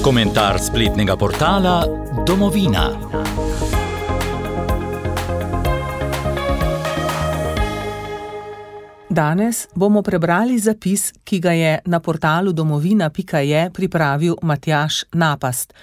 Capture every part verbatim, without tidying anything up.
Komentar spletnega portala Domovina. Danes bomo prebrali zapis, ki ga je na portalu domovina pika je pripravil Matjaž Napast.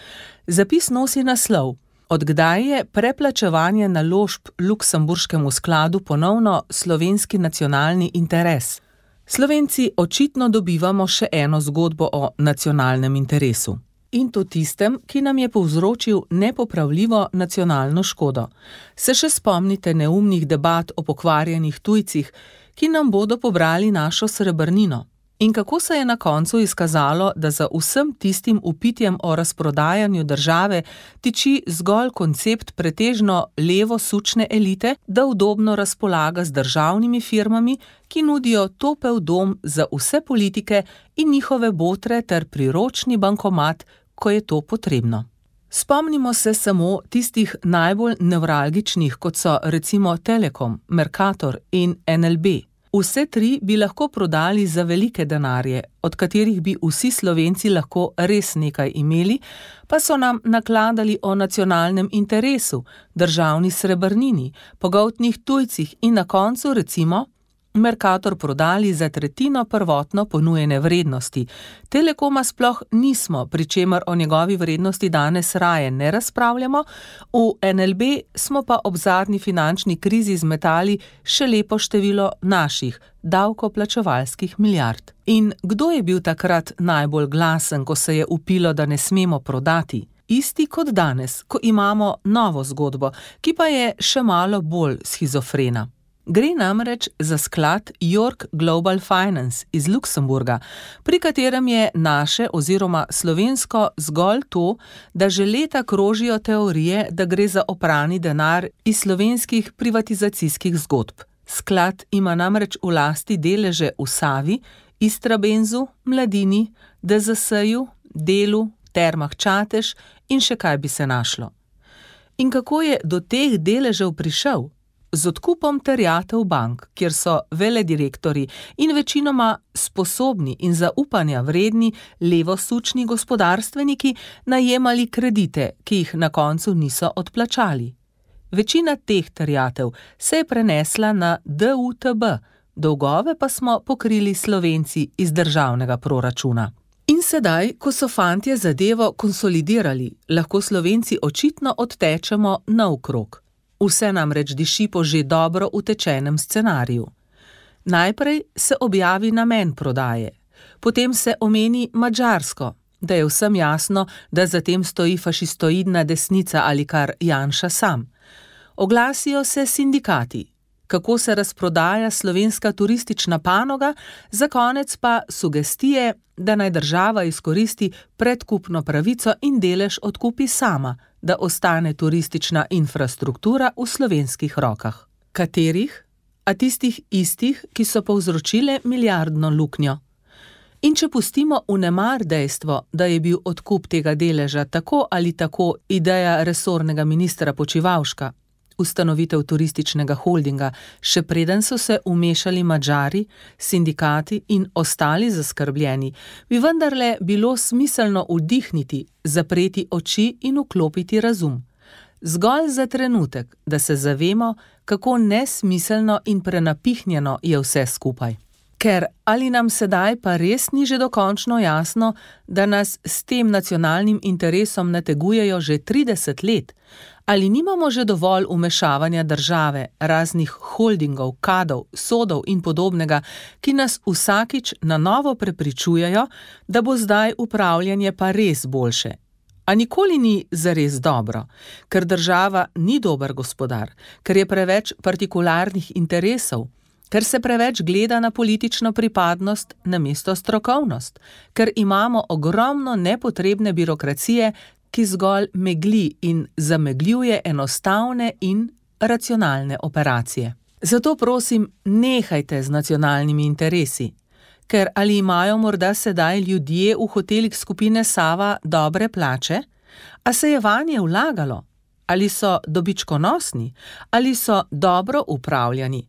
Zapis nosi naslov: Od kdaj je preplačevanje naložb Luksemburškemu skladu ponovno slovenski nacionalni interes? Slovenci očitno dobivamo še eno zgodbo o nacionalnem interesu. In to tistem, ki nam je povzročil nepopravljivo nacionalno škodo. Se še spomnite neumnih debat o pokvarjenih tujcih, ki nam bodo pobrali našo srebrnino? In kako se je na koncu izkazalo, da za vsem tistim vpitjem o razprodajanju države tiči zgolj koncept pretežno levo-sučne elite, da udobno razpolaga z državnimi firmami, ki nudijo topel dom za vse politike in njihove botre ter priročni bankomat, ko je to potrebno. Spomnimo se samo tistih najbolj nevralgičnih, kot so recimo Telekom, Mercator in N L B. Vse tri bi lahko prodali za velike denarje, od katerih bi vsi Slovenci lahko res nekaj imeli, pa so nam nakladali o nacionalnem interesu, državni srebrnini, pogoltnih tujcih in na koncu recimo Mercator prodali za tretjino prvotno ponujene vrednosti. Telekoma sploh nismo, pri čemer o njegovi vrednosti danes raje ne razpravljamo, v N L B smo pa ob zadnji finančni krizi zmetali še lepo število naših davkoplačevalskih milijard. In kdo je bil takrat najbolj glasen, ko se je vpilo, da ne smemo prodati? Isti kot danes, ko imamo novo zgodbo, ki pa je še malo bolj shizofrena. Gre namreč za sklad York Global Finance iz Luksemburga, pri katerem je naše oziroma slovensko zgolj to, da že leta krožijo teorije, da gre za oprani denar iz slovenskih privatizacijskih zgodb. Sklad ima namreč v lasti deleže v Savi, Istrabenzu, Mladini, D Z S-ju, Delu, Termah Čatež in še kaj bi se našlo. In kako je do teh deležev prišel? Z odkupom terjatev bank, kjer so veledirektorji in večinoma sposobni in zaupanja vredni levosučni gospodarstveniki najemali kredite, ki jih na koncu niso odplačali. Večina teh terjatev se je prenesla na D U T B, dolgove pa smo pokrili Slovenci iz državnega proračuna. In sedaj, ko so fantje zadevo konsolidirali, lahko Slovenci očitno odtečemo naokrog. Vse namreč diši po že dobro utečenem scenariju. Najprej se objavi namen prodaje, potem se omeni Madžarsko, da je vsem jasno, da za tem stoji fašistoidna desnica ali kar Janša sam. Oglasijo se sindikati, kako se razprodaja slovenska turistična panoga, za konec pa sugestije, da naj država izkoristi predkupno pravico in delež odkupi sama, da ostane turistična infrastruktura v slovenskih rokah. Katerih? A tistih istih, ki so povzročile milijardno luknjo. In če pustimo vnemar dejstvo, da je bil odkup tega deleža tako ali tako ideja resornega ministra Počivalška, ustanovitev turističnega holdinga, še preden so se vmešali Madžari, sindikati in ostali zaskrbljeni, bi vendarle bilo smiselno vdihniti, zapreti oči in vklopiti razum. Zgolj za trenutek, da se zavemo, kako nesmiselno in prenapihnjeno je vse skupaj. Ker ali nam sedaj pa res ni že dokončno jasno, da nas s tem nacionalnim interesom nategujejo že trideset let, ali nimamo že dovolj vmešavanja države, raznih holdingov, kadov, sodov in podobnega, ki nas vsakič na novo prepričujejo, da bo zdaj upravljanje pa res boljše. A nikoli ni zares dobro, ker država ni dober gospodar, ker je preveč partikularnih interesov, ker se preveč gleda na politično pripadnost namesto strokovnost, ker imamo ogromno nepotrebne birokracije, ki zgolj megli in zamegljuje enostavne in racionalne operacije. Zato prosim, nehajte z nacionalnimi interesi, ker ali imajo morda sedaj ljudje v hotelih skupine Sava dobre plače, a se je vanje vlagalo, ali so dobičkonosni, ali so dobro upravljani.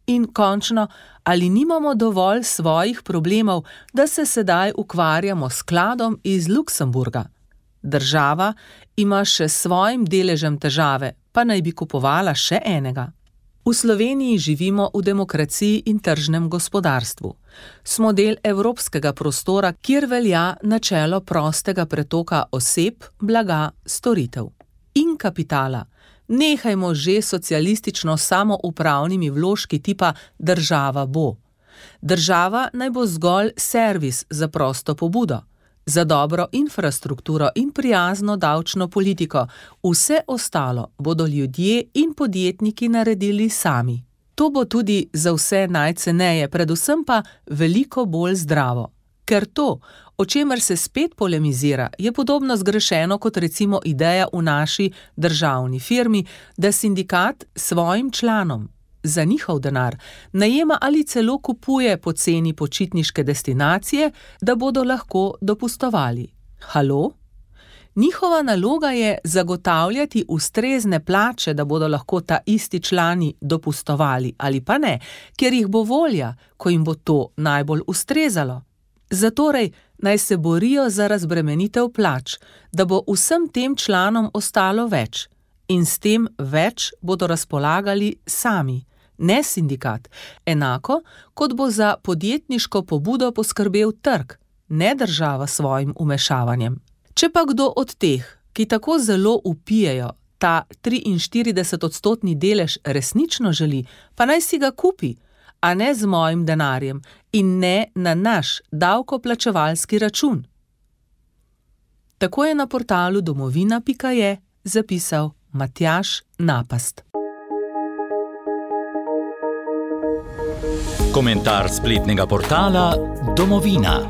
In končno, ali nimamo dovolj svojih problemov, da se sedaj ukvarjamo s skladom iz Luksemburga? Država ima še s svojim deležem težave, pa naj bi kupovala še enega. V Sloveniji živimo v demokraciji in tržnem gospodarstvu. Smo del evropskega prostora, kjer velja načelo prostega pretoka oseb, blaga, storitev in kapitala. Nehajmo že socialistično samoupravnimi vložki tipa država bo. Država naj bo zgolj servis za prosto pobudo, za dobro infrastrukturo in prijazno davčno politiko. Vse ostalo bodo ljudje in podjetniki naredili sami. To bo tudi za vse najceneje, predvsem pa veliko bolj zdravo. Ker to, o čemer se spet polemizira, je podobno zgrešeno kot recimo ideja v naši državni firmi, da sindikat svojim članom za njihov denar najema ali celo kupuje poceni počitniške destinacije, da bodo lahko dopustovali. Halo? Njihova naloga je zagotavljati ustrezne plače, da bodo lahko ta isti člani dopustovali, ali pa ne, ker jih bo volja, ko jim bo to najbolj ustrezalo. Zatorej naj se borijo za razbremenitev plač, da bo vsem tem članom ostalo več. In s tem več bodo razpolagali sami, ne sindikat, enako kot bo za podjetniško pobudo poskrbel trg, ne država s svojim vmešavanjem. Če pa kdo od teh, ki tako zelo vpijejo, ta triinštiridesetodstotni delež resnično želi, pa naj si ga kupi, a ne z mojim denarjem in ne na naš davkoplačevalski račun. Tako je na portalu domovina pika je zapisal Matjaž Napast. Komentar spletnega portala Domovina.